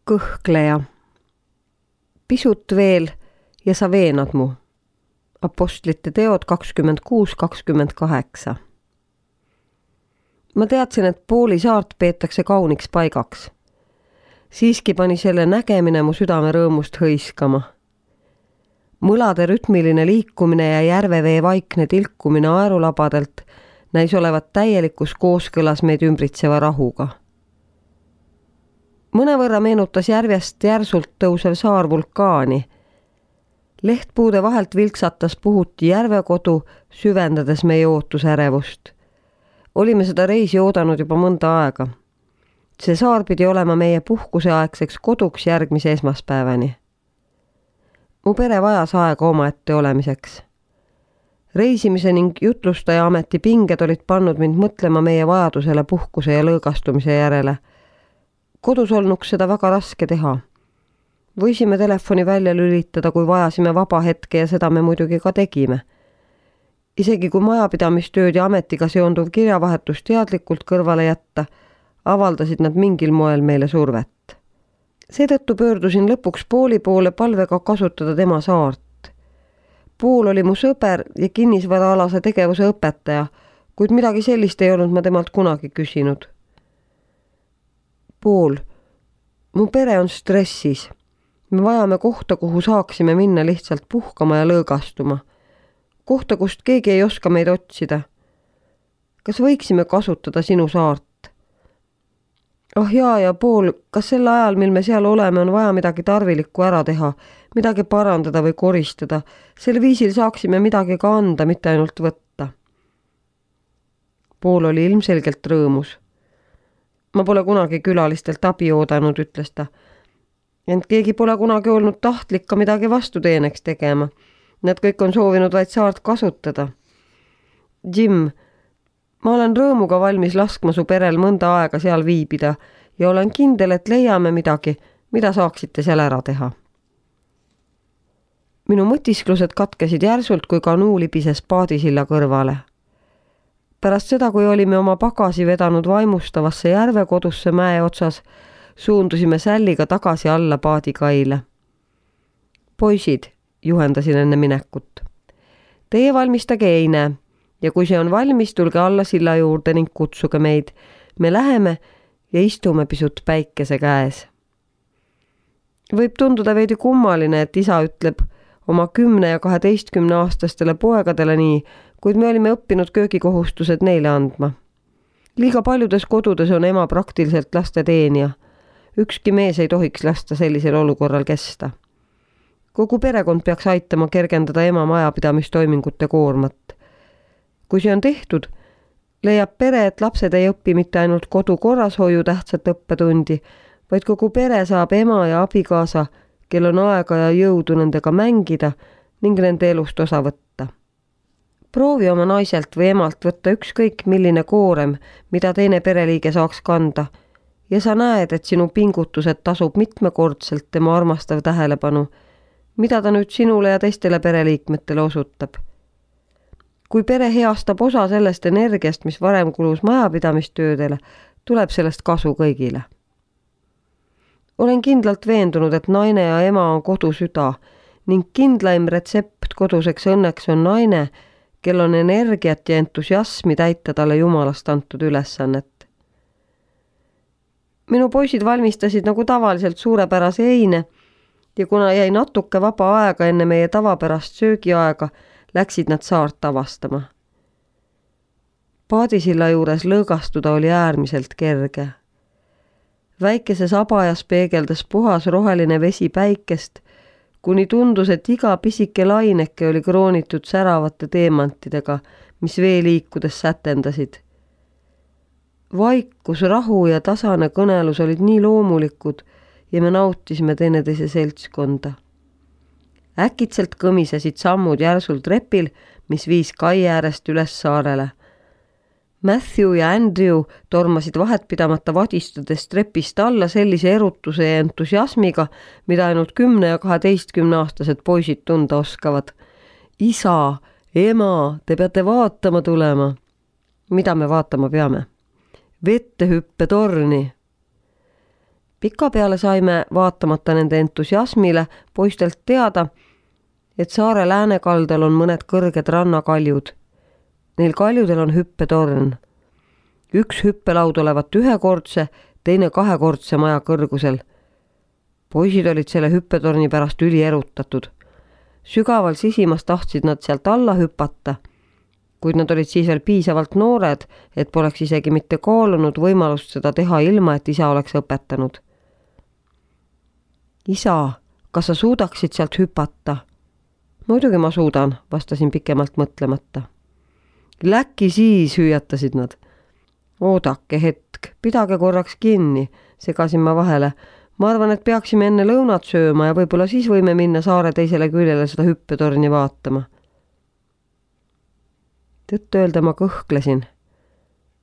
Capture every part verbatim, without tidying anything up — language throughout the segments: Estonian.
Kõhkleja. Pisut veel ja sa veenad mu. Apostlite teod kakskümmend kuus kakskümmend kaheksa. Ma teadsin, et Pooli saart peetakse kauniks paigaks. Siiski pani selle nägemine mu südame rõõmust hõiskama. Mõlade rütmiline liikumine ja järvevee vaikne tilkumine aerulabadelt näis olevat täielikus kooskõlas meid ümbritseva rahuga. Mõnevõrra meenutas järvest järsult tõusev saar vulkaani. Lehtpuude vahelt vilksatas puhuti järvekodu, süvendades meie ootusärevust. Olime seda reisi oodanud juba mõnda aega. See saar pidi olema meie puhkuseaegseks koduks järgmise esmaspäevani. Mu pere vajas aega omaette olemiseks. Reisimise ning jutlustaja ameti pinged olid pannud mind mõtlema meie vajadusele puhkuse ja lõõgastumise järele. Kodus olnuks seda väga raske teha. Võisime telefoni välja lülitada, kui vajasime vaba hetke ja seda me muidugi ka tegime. Isegi kui majapidamistööd ja ametiga seonduv kirjavahetus teadlikult kõrvale jätta, avaldasid nad mingil moel meile survet. Seetõttu pöördusin lõpuks Pooli poole palvega kasutada tema saart. Pool oli mu sõber ja kinnisvaraalase tegevuse õpetaja, kuid midagi sellist ei olnud ma temalt kunagi küsinud. Pool, mu pere on stressis. Me vajame kohta, kuhu saaksime minna lihtsalt puhkama ja lõõgastuma. Kohta, kust keegi ei oska meid otsida. Kas võiksime kasutada sinu saart? Ah jaa ja Pool, kas sel ajal, mil me seal oleme, on vaja midagi tarvilikku ära teha, midagi parandada või koristada. Sel viisil saaksime midagi ka anda, mitte ainult võtta. Pool oli ilmselgelt rõõmus. Ma pole kunagi külalistelt abi oodanud, ütles ta. Ent keegi pole kunagi olnud tahtlik ka midagi vastuteeneks tegema. Nad kõik on soovinud vaid saart kasutada. Jim, ma olen rõõmuga valmis laskma su perel mõnda aega seal viibida ja olen kindel, et leiame midagi, mida saaksite seal ära teha. Minu mõtisklused katkesid järsult, kui kanuu libises paadisilla kõrvale. Pärast seda, kui olime oma pagasi vedanud vaimustavasse järvekodusse mäe otsas, suundusime sälliga tagasi alla paadikaile. Poisid, juhendasin enne minekut. Teie valmistage eine ja kui see on valmis, tulge alla silla juurde ning kutsuge meid. Me läheme ja istume pisut päikese käes. Võib tunduda veidi kummaline, et isa ütleb oma kümne ja kaheteistkümne aastastele poegadele nii, kuid me olime õppinud köögikohustused neile andma. Liiga paljudes kodudes on ema praktiliselt laste teenija. Ükski mees ei tohiks lasta sellisel olukorral kesta. Kogu perekond peaks aitama kergendada ema majapidamistoimingute koormat. Kui see on tehtud, leiab pere, et lapsed ei õpi mitte ainult kodu korrashoiu tähtsat õppetundi, vaid kogu pere saab ema ja abikaasa, kel on aega ja jõudu nendega mängida ning nende elust osa võtta. Proovi oma naiselt või emalt võtta ükskõik milline koorem, mida teine pereliige saaks kanda, ja sa näed, et sinu pingutused tasub mitmekordselt tema armastav tähelepanu, mida ta nüüd sinule ja teistele pereliikmetele osutab. Kui pere heastab osa sellest energiast, mis varem kulus majapidamistöödele, tuleb sellest kasu kõigile. Olen kindlalt veendunud, et naine ja ema on kodu süda ning kindlaim retsept koduseks õnneks on naine, kel on energiat ja entusiasmi täita talle jumalast antud ülesannet. Minu poisid valmistasid nagu tavaliselt suurepärase eine ja kuna jäi natuke vaba aega enne meie tavapärast söögiaega, läksid nad saart avastama. Paadisilla juures lõõgastuda oli äärmiselt kerge. Väikeses abajas peegeldas puhas roheline vesi päikest, kuni tundus, et iga pisike laineke oli kroonitud säravate teemantidega, mis vee liikudes sätendasid. Vaikus, rahu ja tasane kõnelus olid nii loomulikud ja me nautisime teineteise seltskonda. Äkitselt kõmisesid sammud järsult repil, mis viis kai äärest üles saarele. Matthew ja Andrew tormasid vahetpidamata vadistades trepist alla sellise erutuse ja entusiasmiga, mida ainult kümne ja kaheteistkümne aastased poisid tunda oskavad. Isa, ema, te peate vaatama tulema. Mida me vaatama peame? Vettehüppe torni. Pikapeale saime vaatamata nende entusiasmile poistelt teada, et saare läänekaldal on mõned kõrged rannakaljud. Neil kaljudel on hüppetorn. Üks hüppelaud olevat ühekordse, teine kahekordse maja kõrgusel. Poisid olid selle hüppetorni pärast üli erutatud. Sügaval sisimas tahtsid nad sealt alla hüpata, kuid nad olid siis veel piisavalt noored, et poleks isegi mitte kaalunud võimalust seda teha ilma, et isa oleks õpetanud. Isa, kas sa suudaksid sealt hüpata? Muidugi ma suudan, vastasin pikemalt mõtlemata. Läkki siis, hüüatasid nad. Oodake hetk, pidage korraks kinni, segasin ma vahele. Ma arvan, et peaksime enne lõunat sööma ja võib-olla siis võime minna saare teisele küljele seda hüppetorni vaatama. Tõtt öelda ma kõhklesin.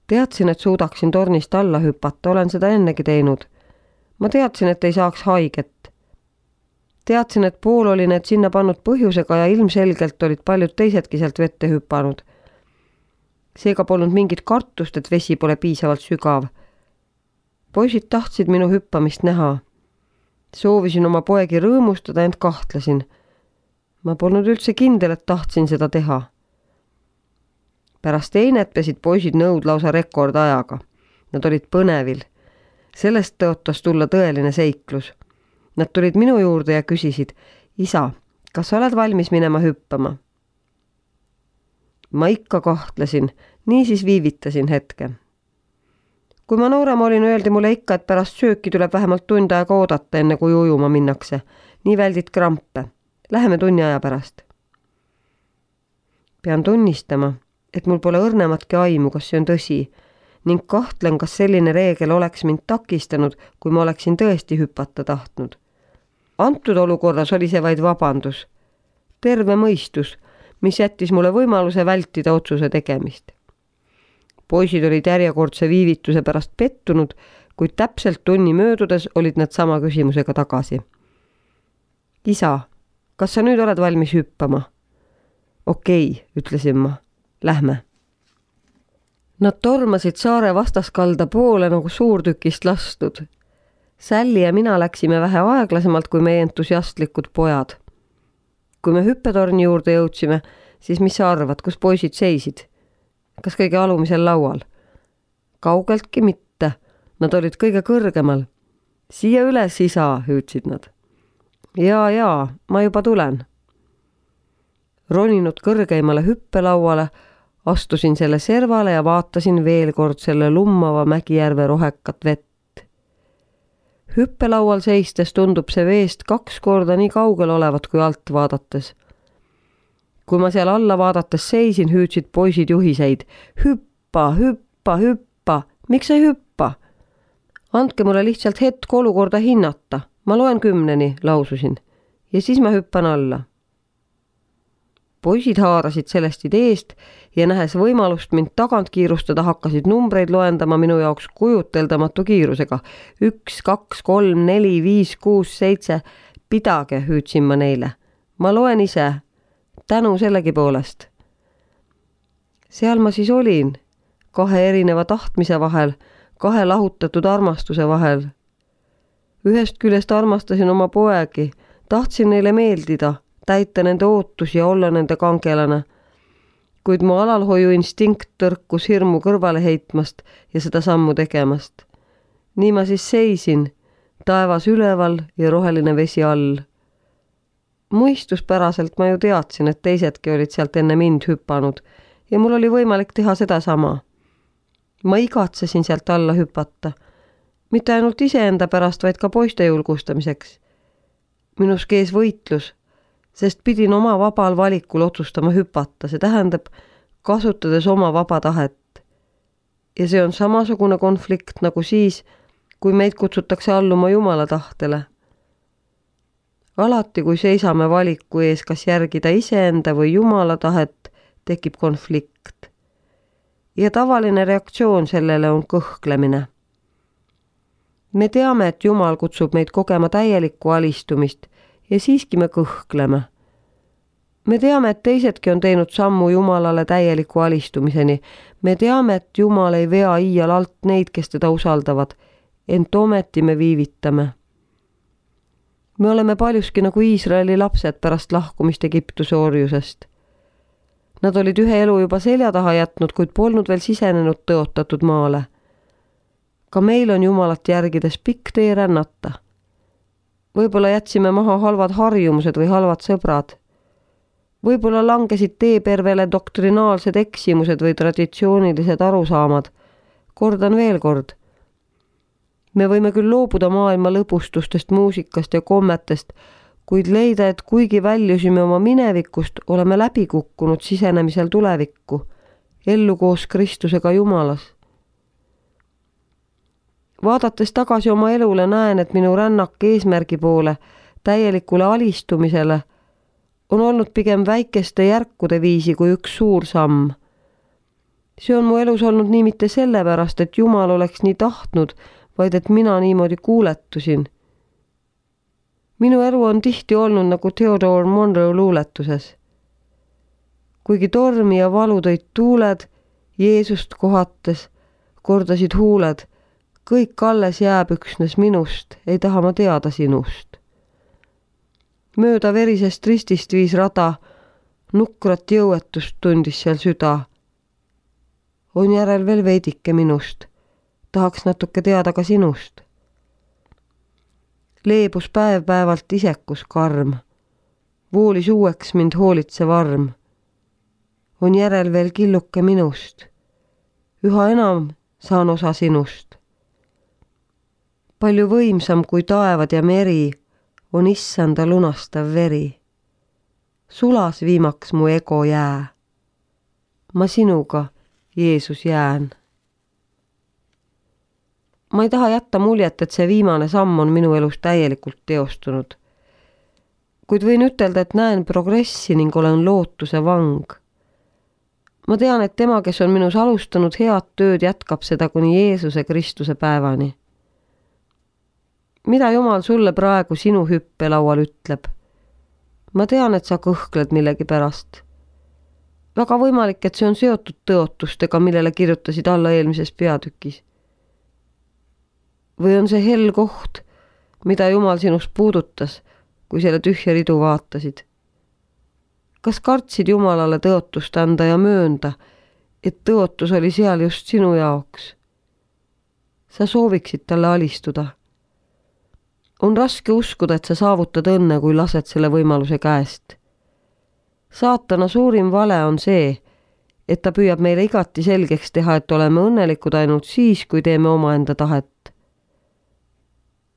Teadsin, et suudaksin tornist alla hüpata, olen seda ennegi teinud. Ma teadsin, et ei saaks haiget. Teadsin, et pool oli need sinna pannud põhjusega ja ilmselgelt olid paljud teisedki sealt vette hüpanud. Seega polnud mingit kartust, et vesi pole piisavalt sügav. Poisid tahtsid minu hüppamist näha. Soovisin oma poegi rõõmustada, ent kahtlesin. Ma polnud üldse kindel, et tahtsin seda teha. Pärast einet pesid poisid nõud lausa rekordajaga. Nad olid põnevil. Sellest tõotas tulla tõeline seiklus. Nad tulid minu juurde ja küsisid, isa, kas sa oled valmis minema hüppama? Ma ikka kahtlesin, nii siis viivitasin hetke. Kui ma noorem olin, öeldi mulle ikka, et pärast sööki tuleb vähemalt tund aega oodata, enne kui ujuma minnakse. Nii väldid krampe. Läheme tunni aja pärast. Pean tunnistama, et mul pole õrnematki aimu, kas see on tõsi, ning kahtlen, kas selline reegel oleks mind takistanud, kui ma oleksin tõesti hüpata tahtnud. Antud olukorras oli see vaid vabandus. Terve mõistus, mis jättis mulle võimaluse vältida otsuse tegemist. Poisid olid järjekordse viivituse pärast pettunud, kuid täpselt tunni möödudes olid nad sama küsimusega tagasi. Isa, kas sa nüüd oled valmis hüppama? Okei, ütlesin ma. Lähme. Nad tormasid saare vastaskalda poole nagu suurtükist lastud. Sälli ja mina läksime vähe aeglasemalt kui meie entusiastlikud pojad. Kui me hüppetorni juurde jõudsime, siis mis sa arvad, kus poisid seisid? Kas kõige alumisel laual? Kaugeltki mitte. Nad olid kõige kõrgemal. Siia üles, isa, hüüdsid nad. Jaa, jaa, ma juba tulen. Roninud kõrgeimale hüppelauale, astusin selle servale ja vaatasin veel kord selle lummava Mägijärve rohekat vett. Hüppelaual seistes tundub see veest kaks korda nii kaugel olevat kui alt vaadates. Kui ma seal alla vaadates seisin, hüüdsid poisid juhiseid. Hüppa, hüppa, hüppa. Miks ei hüppa? Andke mulle lihtsalt hetk olukorda hinnata. Ma loen kümneni, laususin. Ja siis ma hüppan alla. Poisid haarasid sellest ideest ja nähes võimalust mind tagant kiirustada, hakkasid numbreid loendama minu jaoks kujuteldamatu kiirusega. Üks, kaks, kolm, neli, viis, kuus, seitse. Pidage, hüüdsin ma neile. Ma loen ise. Tänu sellegi poolest. Seal ma siis olin, kahe erineva tahtmise vahel, kahe lahutatud armastuse vahel. Ühest küljest armastasin oma poegi, tahtsin neile meeldida, täita nende ootusi ja olla nende kangelane. Kuid mu alalhoiu instinkt tõrkus hirmu kõrvale heitmast ja seda sammu tegemast. Nii ma siis seisin, taevas üleval ja roheline vesi all. Muistuspäraselt ma ju teadsin, et teisedki olid sealt enne mind hüpanud ja mul oli võimalik teha seda sama. Ma igatsesin sealt alla hüpata. Mitte ainult iseenda pärast, vaid ka poiste julgustamiseks. Minus kees võitlus, sest pidin oma vabal valikul otsustama hüpata, see tähendab kasutades oma vaba tahet. Ja see on samasugune konflikt nagu siis, kui meid kutsutakse alluma Jumala tahtele. Alati, kui seisame valiku ees, kas järgida iseenda või Jumala tahet, tekib konflikt. Ja tavaline reaktsioon sellele on kõhklemine. Me teame, et Jumal kutsub meid kogema täielikku alistumist ja siiski me kõhkleme. Me teame, et teisedki on teinud sammu Jumalale täieliku alistumiseni. Me teame, et Jumal ei vea iial alt neid, kes teda usaldavad. ent ometi me viivitame. Me oleme paljuski nagu Iisraeli lapsed pärast lahkumist Egiptuse orjusest. Nad olid ühe elu juba selja taha jätnud, kuid polnud veel sisenenud tõotatud maale. Ka meil on Jumalat järgides pikk tee rännata. Võib-olla jätsime maha halvad harjumused või halvad sõbrad. Võib-olla langesid teepervele doktrinaalsed eksimused või traditsioonilised arusaamad. Kordan veel kord. Me võime küll loobuda maailma lõbustustest, muusikast ja kommetest, kuid leida, et kuigi väljusime oma minevikust, oleme läbi kukkunud sisenemisel tulevikku, ellu koos Kristusega Jumalas. Vaadates tagasi oma elule näen, et minu rännak eesmärgi poole, täielikule alistumisele, on olnud pigem väikeste järkude viisi kui üks suur samm. See on mu elus olnud nii mitte sellepärast, et Jumal oleks nii tahtnud, vaid et mina niimoodi kuuletusin. Minu elu on tihti olnud nagu Theodore Monroe luuletuses. Kuigi tormi ja valu tõid tuuled, Jeesust kohates, kordasid huuled, kõik alles jääb üksnes minust, ei taha ma teada sinust. Mööda verisest ristist viis rada, nukrat jõuetust tundis seal süda. On järel veel veidike minust, tahaks natuke teada ka sinust. Leebus päev-päevalt isekus karm, voolis uueks mind hoolitsev arm. On järel veel killuke minust, üha enam saan osa sinust. Palju võimsam kui taevad ja meri on issanda lunastav veri. Sulas viimaks mu ego jää. Ma sinuga, Jeesus, jään. Ma ei taha jätta muljet, et see viimane samm on minu elus täielikult teostunud. Kuid võin ütelda, et näen progressi ning olen lootuse vang. Ma tean, et tema, kes on minus alustanud head tööd, jätkab seda kuni Jeesuse Kristuse päevani. Mida Jumal sulle praegu sinu hüppelaual ütleb? Ma tean, et sa kõhkled millegi pärast. Väga võimalik, et see on seotud tõotustega, millele kirjutasid alla eelmises peatükis. Või on see hell koht, mida Jumal sinust puudutas, kui selle tühja ridu vaatasid? Kas kartsid Jumalale tõotust anda ja möönda, et tõotus oli seal just sinu jaoks? Sa sooviksid talle alistuda. On raske uskuda, et sa saavutad õnne, kui lased selle võimaluse käest. Saatana suurim vale on see, et ta püüab meile igati selgeks teha, et oleme õnnelikud ainult siis, kui teeme omaenda tahet.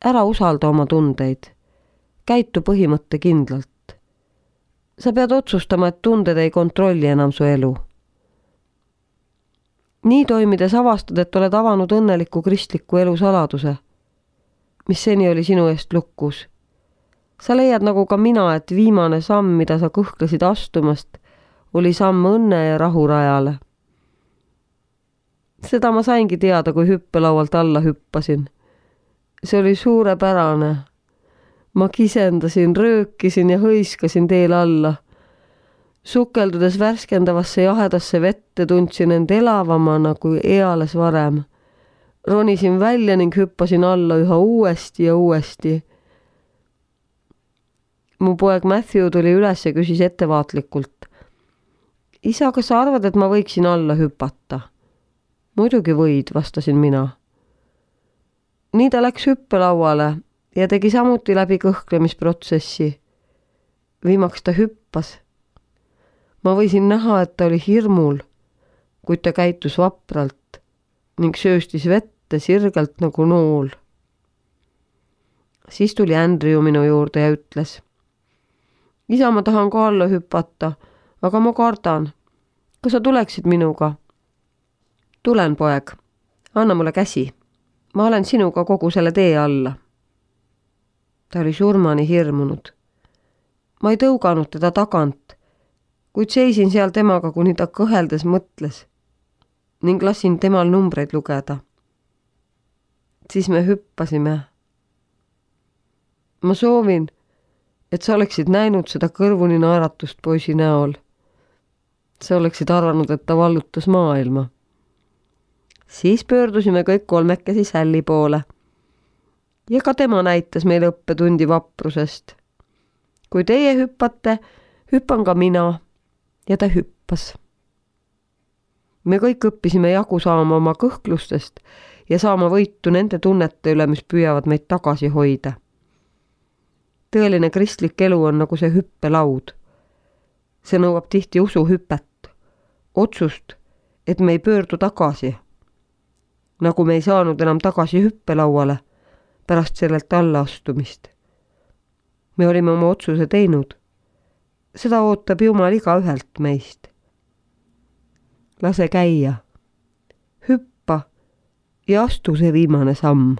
Ära usalda oma tundeid. Käitu põhimõtte kindlalt. Sa pead otsustama, et tunded ei kontrolli enam su elu. Nii toimides avastad, et oled avanud õnneliku kristliku elu saladuse, mis seni oli sinu eest lukus. Sa leiad nagu ka mina, et viimane samm, mida sa kõhklesid astumast, oli samm õnne ja rahu rajale. Seda ma saingi teada, kui hüppelaualt alla hüppasin. See oli suurepärane. Ma kisendasin, röökisin ja hõiskasin teel alla. Sukeldudes värskendavasse jahedasse vette tundsin end elavamana kui eales varem. Ronisin välja ning hüppasin alla üha uuesti ja uuesti. Mu poeg Matthew tuli üles ja küsis ettevaatlikult. Isa, kas sa arvad, et ma võiksin alla hüpata? Muidugi võid, vastasin mina. Nii ta läks hüppelauale ja tegi samuti läbi kõhklemisprotsessi. Viimaks ta hüppas. Ma võisin näha, et ta oli hirmul, kuid ta käitus vapralt ning sööstis vette sirgelt nagu nool. Siis tuli Andrew minu juurde ja ütles. Isa, ma tahan ka alla hüpata, aga ma kardan. Kas sa tuleksid minuga? Tulen, poeg. Anna mulle käsi. Ma olen sinuga kogu selle tee alla. Ta oli surmani hirmunud. Ma ei tõuganud teda tagant, kuid seisin seal temaga, kuni ta kõheldes mõtles ning lasin temal numbreid lugeda. Siis me hüppasime. Ma soovin, et sa oleksid näinud seda kõrvuni naeratust poisi näol. Sa oleksid arvanud, et ta vallutas maailma. Siis pöördusime kõik kolmekesi Sälli poole. ja ka tema näitas meile õppetundi vaprusest. Kui teie hüppate, hüppan ka mina ja ta hüppas. Me kõik õppisime jagu saama oma kõhklustest ja saama võitu nende tunnete üle, mis püüavad meid tagasi hoida. Tõeline kristlik elu on nagu see hüppelaud. See nõuab tihti usuhüpet, otsust, et me ei pöördu tagasi. Nagu me ei saanud enam tagasi hüppelauale pärast sellelt allaastumist. Me olime oma otsuse teinud. Seda ootab Jumal iga ühelt meist. Lase käia, hüppa ja astu see viimane samm.